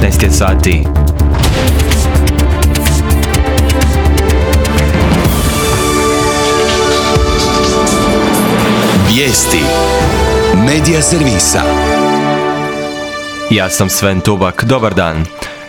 15 je sati. Vijesti Medija servisa. Ja sam Sven Tubak, dobar dan.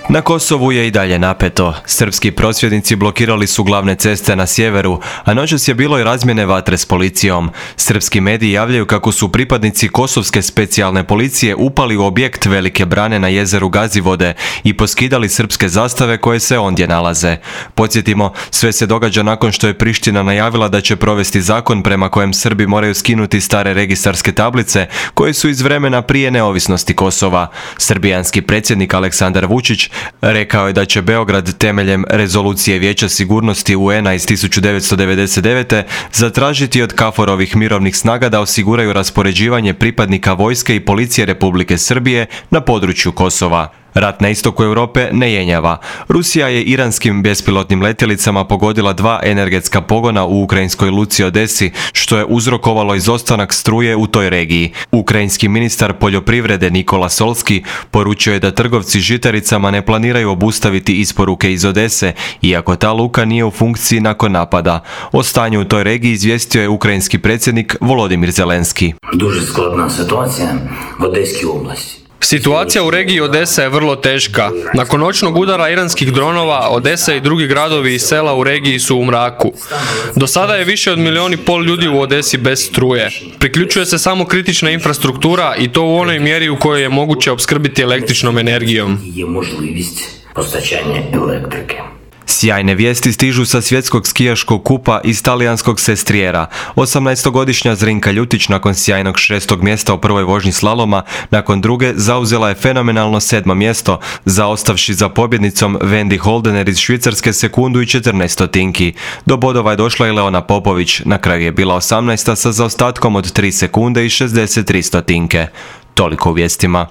Na Kosovu je i dalje napeto. Srpski prosvjednici blokirali su glavne ceste na sjeveru, a noćas je bilo i razmjene vatre s policijom. Srpski mediji javljaju kako su pripadnici kosovske specijalne policije upali u objekt Velike brane na jezeru Gazivode i poskidali srpske zastave koje se ondje nalaze. Podsjetimo, sve se događa nakon što je Priština najavila da će provesti zakon prema kojem Srbi moraju skinuti stare registarske tablice koje su iz vremena prije neovisnosti Kosova. Srbijanski predsjednik Aleksandar Vučić rekao je da će Beograd temeljem rezolucije Vijeća sigurnosti UN-a iz 1999. zatražiti od KFOR-ovih mirovnih snaga da osiguraju raspoređivanje pripadnika vojske i policije Republike Srbije na području Kosova. Rat na istoku Europe ne jenjava. Rusija je iranskim bespilotnim letjelicama pogodila 2 energetska pogona u ukrajinskoj luci Odesi, što je uzrokovalo izostanak struje u toj regiji. Ukrajinski ministar poljoprivrede Nikola Solski poručio je da trgovci žitaricama ne planiraju obustaviti isporuke iz Odese, iako ta luka nije u funkciji nakon napada. O stanju u toj regiji izvijestio je ukrajinski predsjednik Volodimir Zelenski. Дуже складна ситуація в Одеській області. Situacija u regiji Odesa je vrlo teška. Nakon noćnog udara iranskih dronova, Odesa i drugi gradovi i sela u regiji su u mraku. Do sada je više od 1,5 milijuna ljudi u Odesi bez struje. Priključuje se samo kritična infrastruktura i to u onoj mjeri u kojoj je moguće opskrbiti električnom energijom. Є можливість постачання електрики. Sjajne vijesti stižu sa svjetskog skijaškog kupa iz talijanskog Sestrijera. 18-godišnja Zrinka Ljutić nakon sjajnog 6. mjesta u prvoj vožnji slaloma, nakon druge zauzela je fenomenalno 7. mjesto, zaostavši za pobjednicom Wendy Holdener iz Švicarske sekundu i 14 stotinki. Do bodova je došla i Leona Popović, na kraju je bila 18. sa zaostatkom od 3 sekunde i 63 stotinke. Toliko u vijestima.